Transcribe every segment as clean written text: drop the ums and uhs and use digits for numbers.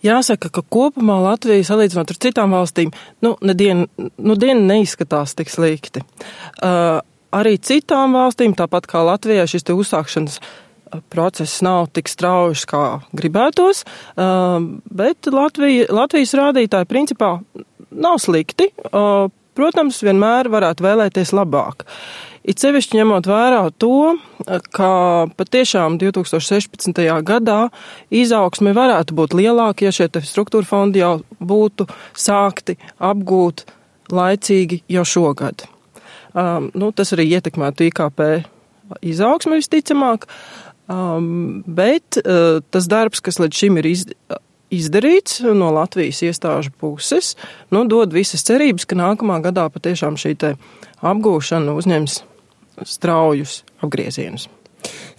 Jāsaka, ka kopumā Latvija, salīdzinot ar citām valstīm, diena neizskatās tik slikti. Arī citām valstīm, tāpat kā Latvijai, šis te uzsākšanas process nav tik strauji, kā gribētos, bet Latvijas rādītāji principā nav slikti. Protams, vienmēr varētu vēlēties labāk. It sevišķi ņemot vērā to, ka patiešām 2016. gadā izaugsme varētu būt lielāka, ja šie struktūra fondi jau būtu sākti apgūt laicīgi jau šogad. Tas arī ietekmētu IKP izaugsmi visticamāk, bet tas darbs, kas līdz šim ir izdarīts no Latvijas iestāžu puses, dod visas cerības, ka nākamā gadā patiešām šī te apgūšana uzņems straujus apgriezienus.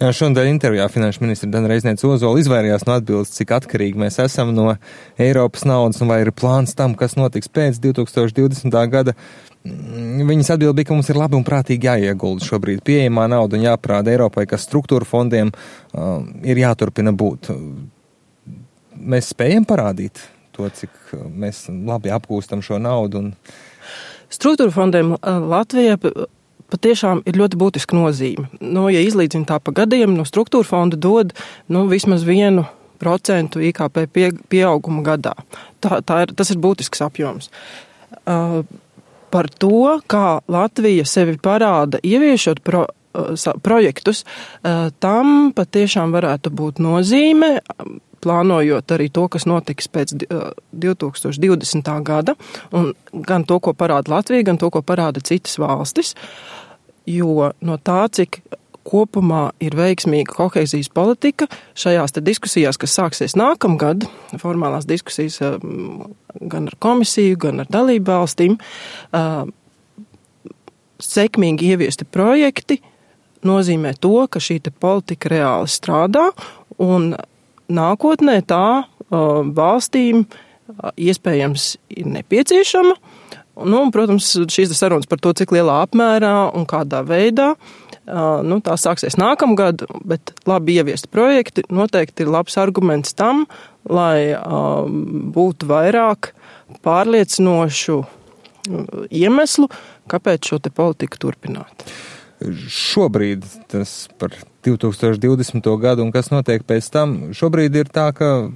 Jā, šodien intervijā finanšu ministra Dana Reizniece-Ozola izvairījās no atbildes, cik atkarīgi mēs esam no Eiropas naudas un vai ir plāns tam, kas notiks pēc 2020. gada. Viņas atbilde bija, ka mums ir labi un prātīgi jāiegulda šobrīd pieejamā nauda un jāprāda Eiropai, ka struktūra fondiem ir jāturpina būt. Mēs spējam parādīt to, cik mēs labi apgūstam šo naudu. Struktūra fondiem Latvijā patiešām ir ļoti būtiska nozīme. Ja izlīdzina tā pa gadiem, no struktūra fonda dod vismaz 1% IKP pieauguma gadā. Tas ir būtisks apjoms. Par to, kā Latvija sevi parāda ieviešot projektus, tam patiešām varētu būt nozīme, plānojot arī to, kas notiks pēc 2020. gada, un gan to, ko parāda Latvija, gan to, ko parāda citas valstis, jo no tā, cik kopumā ir veiksmīga kohēzijas politika, šajās te diskusijās, kas sāksies nākamgad, formālās diskusijas gan ar komisiju, gan ar dalību valstīm, sekmīgi ieviesti projekti nozīmē to, ka šī te politika reāli strādā, un nākotnē tā valstīm iespējams ir nepieciešama. Protams, šīs sarunas par to, cik lielā apmērā un kādā veidā, tā sāksies nākamgad, bet labi ieviesti projekti noteikti ir labs arguments tam, lai būtu vairāk pārliecinošu iemeslu, kāpēc šo te politiku turpināt. Šobrīd tas par 2020. gadu un kas notiek pēc tam, šobrīd ir tā, ka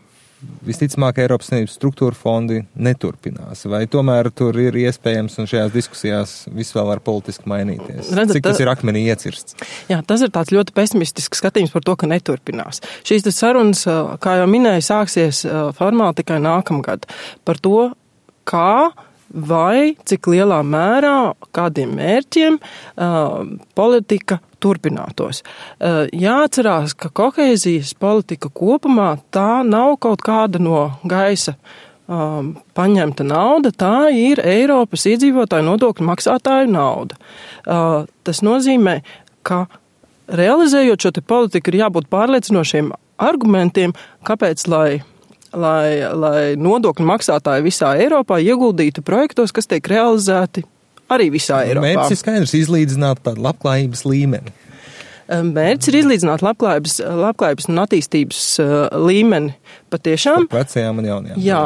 visticamāk Eiropas Savienības struktūra fondi neturpinās, vai tomēr tur ir iespējams un šajās diskusijās viss vēl var politiski mainīties? Cik tas ir akmenī iecirsts? Jā, tas ir tāds ļoti pesimistisks skatījums par to, ka neturpinās. Šīs sarunas, kā jau minēju, sāksies formāli tikai nākamgad par to, kā vai cik lielā mērā, kādiem mērķiem politika turpinātos. Jāatcerās, ka kohēzijas politika kopumā tā nav kaut kāda no gaisa paņemta nauda, tā ir Eiropas iedzīvotāju nodokļu maksātāju nauda. Tas nozīmē, ka realizējot šo te politiku ir jābūt pārliecinošiem argumentiem, kāpēc, lai nodokļu maksātāji visā Eiropā ieguldītu projektos, kas tiek realizēti arī visā Eiropā. Mērķis ir skaidrs izlīdzināt tādu labklājības līmeni. Mērķis ir izlīdzināt labklājības un attīstības līmeni patiešām. Par vecajām un jaunajām. Jā,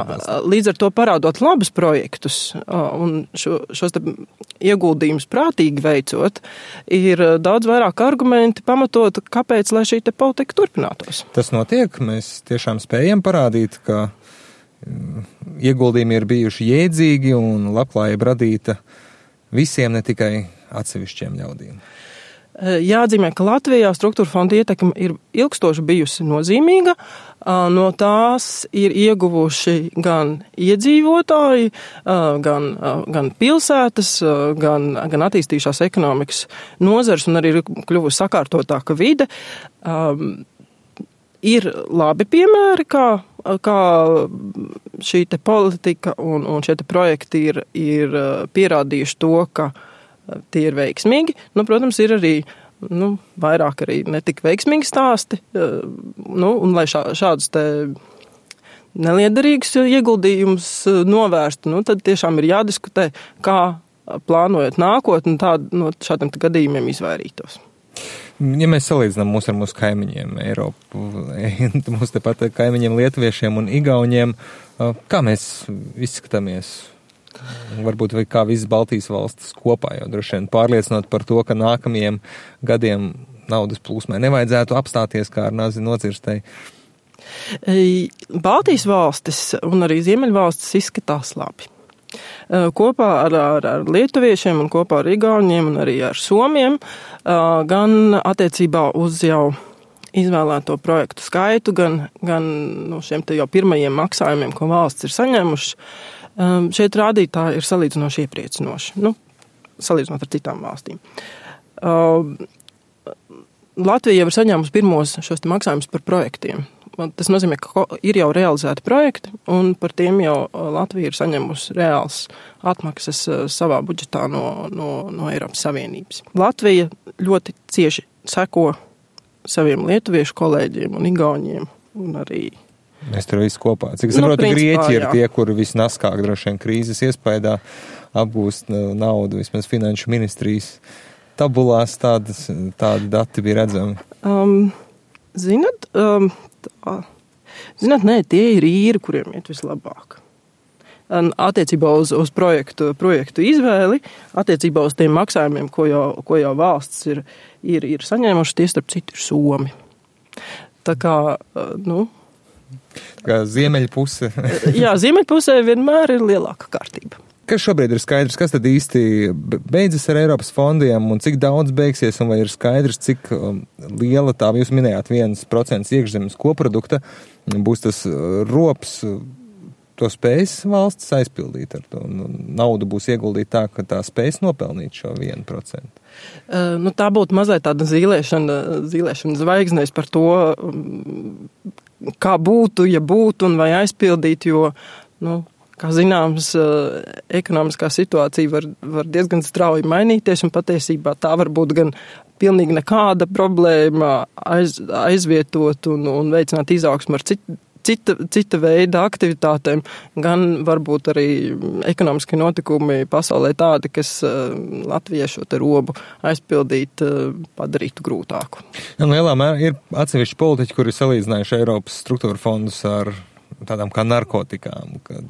līdz ar to parādot labus projektus un šos te ieguldījumus prātīgi veicot, ir daudz vairāk argumenti pamatot, kāpēc, lai šī te politika turpinātos. Tas notiek, mēs tiešām spējam parādīt, ka ieguldījumi ir bijuši jēdzīgi un labklājība radīta visiem, ne tikai atsevišķiem ļaudīm. Jāatzīmē, ka Latvijā struktūra fonda ietekme ir ilgstoši bijusi nozīmīga. No tās ir ieguvuši gan iedzīvotāji, gan pilsētas, gan attīstījušās ekonomikas nozars un arī ir kļuvusi sakārtotāka vide. Ir labi piemēri, kā šī te politika un šie te projekti ir pierādījuši to, ka tie ir veiksmīgi. Protams, ir arī vairāk arī netik veiksmīgi stāsti. Un lai šādus te neliederīgus ieguldījumus novērstu, tad tiešām ir jādiskutē, kā plānojot nākotni, no šādiem gadījumiem izvairītos. Ja mēs salīdzinām mūs ar mūsu kaimiņiem Eiropu, mūsu tepat kaimiņiem lietuviešiem un igauņiem, kā mēs izskatāmies? Varbūt vai kā visas Baltijas valstis kopā, jo droši vien pārliecinot par to, ka nākamajiem gadiem naudas plūsmai nevajadzētu apstāties kā ar nazi nocirstei. Baltijas valstis un arī Ziemeļvalstis izskatās labi. Kopā ar lietuviešiem un kopā ar igauņiem un arī ar somiem, gan attiecībā uz jau izvēlēto projektu skaitu, gan no šiem te jau pirmajiem maksājumiem, ko valsts ir saņēmuši, šeit rādītāji ir salīdzinoši iepriecinoši, salīdzinot ar citām valstīm. Latvija jau ir saņēmusi pirmos šos te maksājumus par projektiem. Tas nozīmē, ka ir jau realizēti projekti, un par tiem jau Latvija ir saņemusi reāls atmaksas savā budžetā no Eiropas Savienības. Latvija ļoti cieši seko saviem lietuviešu kolēģiem un igauņiem, un arī... Mēs tur visi kopā. Cik saprotu, Grieķi ir tie, kuri visnaskāk droši vien krīzes iespējā apgūst naudu, vismaz finanšu ministrijas tabulās tādi dati bija redzami. Zināt, nē, tie ir īri, kuriem iet vislabāk. Attiecībā uz projektu izvēli, attiecībā uz tiem maksājumiem, ko jau valsts ir saņēmuši, tie starp citu ir Somi. Tā kā, kā ziemeļpuse. Jā, ziemeļpusē vienmēr ir lielāka kārtība. Kas šobrīd ir skaidrs, kas tad īsti beidzas ar Eiropas fondiem un cik daudz beigsies, un vai ir skaidrs, cik liela tā, jūs minējāt, 1% iekšzemes koprodukta, būs tas rops, to spējas valsts aizpildīt ar to, naudu būs ieguldīta tā, ka tā spējas nopelnīt šo 1%. Tā būtu mazliet tāda zīlēšana zvaigznēs par to, kā būtu, ja būtu un vai aizpildīt, jo, kā zināms, ekonomiskā situācija var diezgan strauji mainīties, un patiesībā tā var būt gan pilnīgi nekāda problēma aizvietot un veicināt izaugsmu ar cita veida aktivitātēm, gan varbūt arī ekonomiskie notikumi pasaulē tādi, kas Latvijai šo te robu aizpildīt padarītu grūtāku. Lielā mērā ir atsevišķi politiķi, kuri salīdzinājuši Eiropas struktūra fondus ar tādām kā narkotikām, kad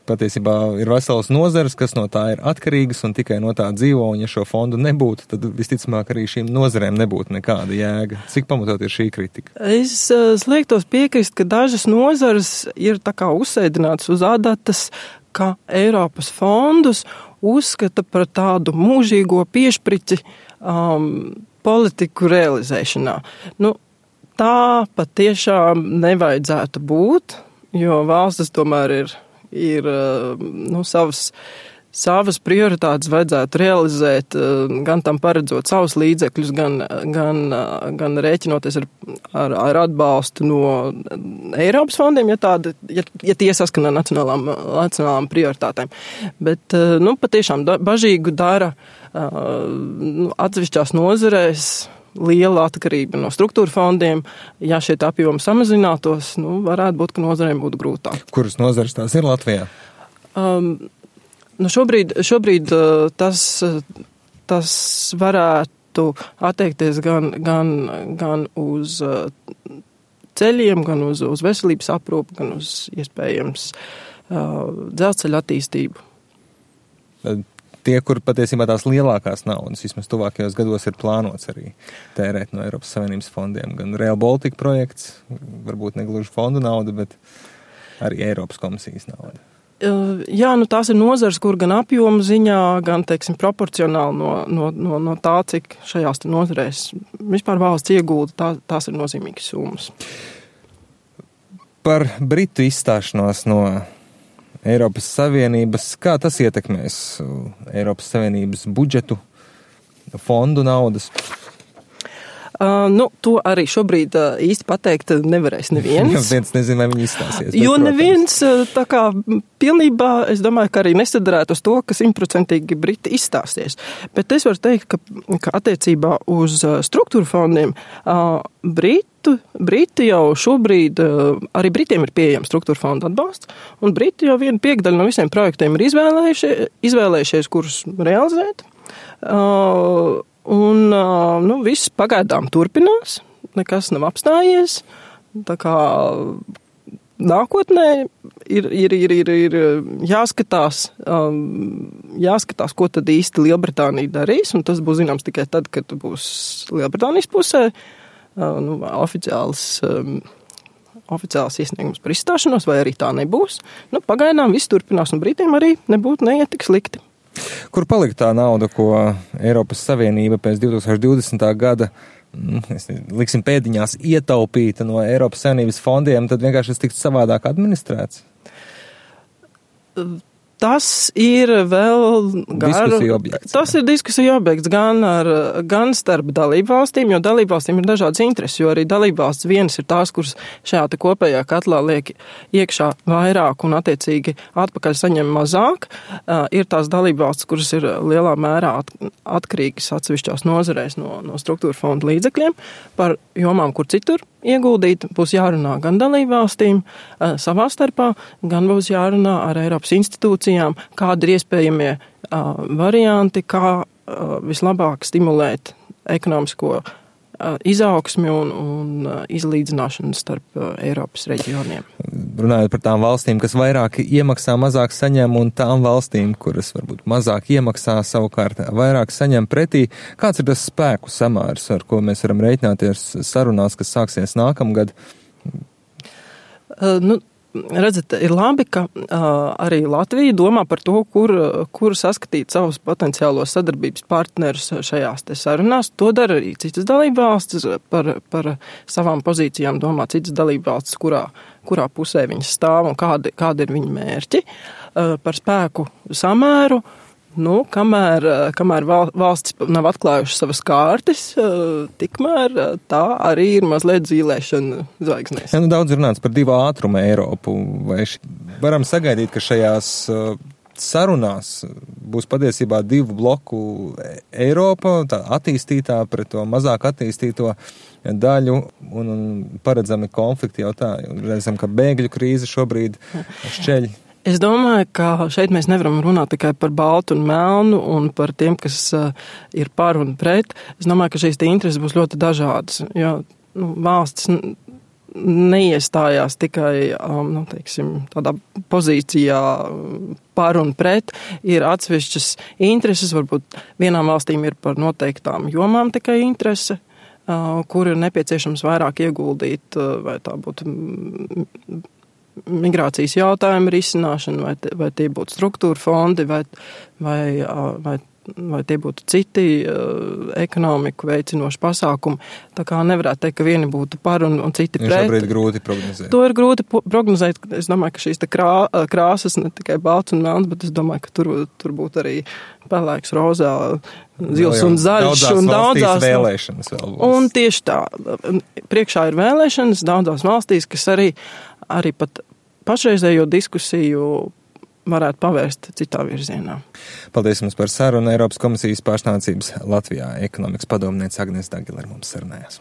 patiesībā ir veselas nozares, kas no tā ir atkarīgas un tikai no tā dzīvo, un ja šo fondu nebūtu, tad visticamāk arī šīm nozarēm nebūtu nekāda jēga. Cik pamatot ir šī kritika? Es sliektos piekrist, ka dažas nozares ir tā kā uzsēdinātas uz adatas, ka Eiropas fondus uzskata par tādu mūžīgo piešprici politiku realizēšanā. Tā patiešām nevajadzētu būt, jo valstis tomēr ir savas prioritātes vajadzētu realizēt, gan tam paredzot savus līdzekļus, gan rēķinoties ar atbalstu no Eiropas fondiem, ja tie saskana nacionālām prioritātēm. Bet, patiešām bažīgu dara atsevišķās nozarēs liela atkarība no struktūra fondiem. Ja šie apjomi samazinātos, varētu būt, ka nozarēm būtu grūtāk. Kuras nozares tās ir Latvijā? Šobrīd tas varētu attiekties gan uz ceļiem, gan uz veselības aprūpi, gan uz iespējams dzelzceļa attīstību. Tie, kur patiesībā tās lielākās naudas, vismaz tuvākajos gados ir plānots arī tērēt no Eiropas Savienības fondiem. Gan Rail Baltica projekts, varbūt negluži fondu nauda, bet arī Eiropas komisijas nauda. Jā, tās ir nozars, kur gan apjomu ziņā, gan, proporcionāli no tā, cik šajās nozarēs vispār valsts iegulda, tās ir nozīmīgas summas. Par Britu izstāšanos no Eiropas Savienības, kā tas ietekmēs Eiropas Savienības budžetu, fondu naudas? To arī šobrīd īsti pateikt nevarēs neviens. Neviens nezin, vai viņi izstāsies. Jo neviens tā kā pilnībā, es domāju, ka arī nesadarētu uz to, ka 100% Briti izstāsies. Bet es varu teikt, ka attiecībā uz struktūra fondiem Briti jau šobrīd, arī Britiem ir pieejams struktūra fonda atbalsts, un Briti jau 1/5 no visiem projektiem ir izvēlējušies, kurus realizēt. un viss pagaidām turpinās, nekas nav apstājies. Tā kā nākotnē ir jāskatās, ko tad īsti Lielbritānija darīs, un tas būs zināms tikai tad, kad būs Lielbritānijas pusē oficiāls iesniegums par izstāšanos, vai arī tā nebūs. Pagaidām viss turpinās, un Britiem arī nebūtu neiet tik slikti. Kur palika tā nauda, ko Eiropas Savienība pēc 2020. gada liksim pēdiņās ietaupīta no Eiropas Savienības fondiem, tad vienkārši tas tiks savādāk administrēts? Tas ir vēl diskusiju objekts. Tas ir diskusiju objekts gan starp dalībvalstīm, jo dalībvalstīm ir dažādas intereses, jo arī dalībvalsts vienas ir tās, kuras šajā te kopējā katlā liek iekšā vairāk un attiecīgi atpakaļ saņem mazāk. Ir tās dalībvalstis, kuras ir lielā mērā atkarīgas atsevišķās nozarēs no struktūra fonda līdzekļiem par jomām, kur citur ieguldīt. Būs jārunā gan dalībvalstīm savā starpā, gan būs jārunā ar Eiropas institūcijām, kādi ir iespējamie varianti, kā vislabāk stimulēt ekonomisko izaugsmi un izlīdzināšanu starp Eiropas reģioniem. Runājot par tām valstīm, kas vairāk iemaksā, mazāk saņem, un tām valstīm, kuras varbūt mazāk iemaksā, savukārt vairāk saņem pretī, kāds ir tas spēku samērs, ar ko mēs varam rēķināties sarunās, kas sāksies nākamgad? Redzat, ir labi, ka arī Latvija domā par to, kur saskatīt savus potenciālos sadarbības partnerus šajās te sarunās. To dara arī citas dalībvalstis, par savām pozīcijām domā citas dalībvalstis, kurā pusē viņas stāv un kādi ir viņa mērķi. Par spēku samēru, kamēr valstis nav atklājušas savas kārtas, tikmēr tā arī ir mazliet zīlēšana zvaigznēs. Daudz runāts par 2 ātrumu Eiropu. Vai varam sagaidīt, ka šajās sarunās būs patiesībā 2 bloku Eiropa, tā attīstītā pret to mazāk attīstīto daļu un paredzami konflikti jau tā? Redzam, ka bēgļu krīze šobrīd šķeļ. Es domāju, ka šeit mēs nevaram runāt tikai par baltu un melnu un par tiem, kas ir par un pret. Es domāju, ka šīs intereses būs ļoti dažādas, jo valstis neiestājās tikai tādā pozīcijā par un pret. Ir atsevišķas intereses, varbūt vienām valstīm ir par noteiktām jomām tikai interese, kur ir nepieciešams vairāk ieguldīt, vai tā būtu migrācijas jautājumu risināšana, vai tie būtu struktūra fondi, vai tie būtu citi ekonomiku veicinoši pasākumi. Tā kā nevarētu teikt, ka vieni būtu par un citi pret. Šobrīd grūti prognozēt. To ir grūti prognozēt. Es domāju, ka šīs krāsas ne tikai balts un melns, bet es domāju, ka tur būtu arī pelēks, rozā, zils un zaļš. Daudzās vēlēšanas vēl būs. Un tieši tā. Priekšā ir vēlēšanas daudzās valstīs, kas arī pat pašreizējo diskusiju varētu pavērst citā virzienā. Paldies jums par sarunu. Eiropas komisijas pārstāvniecības Latvijā ekonomikas padomniece Agnese Dagila ar mums sarunājās.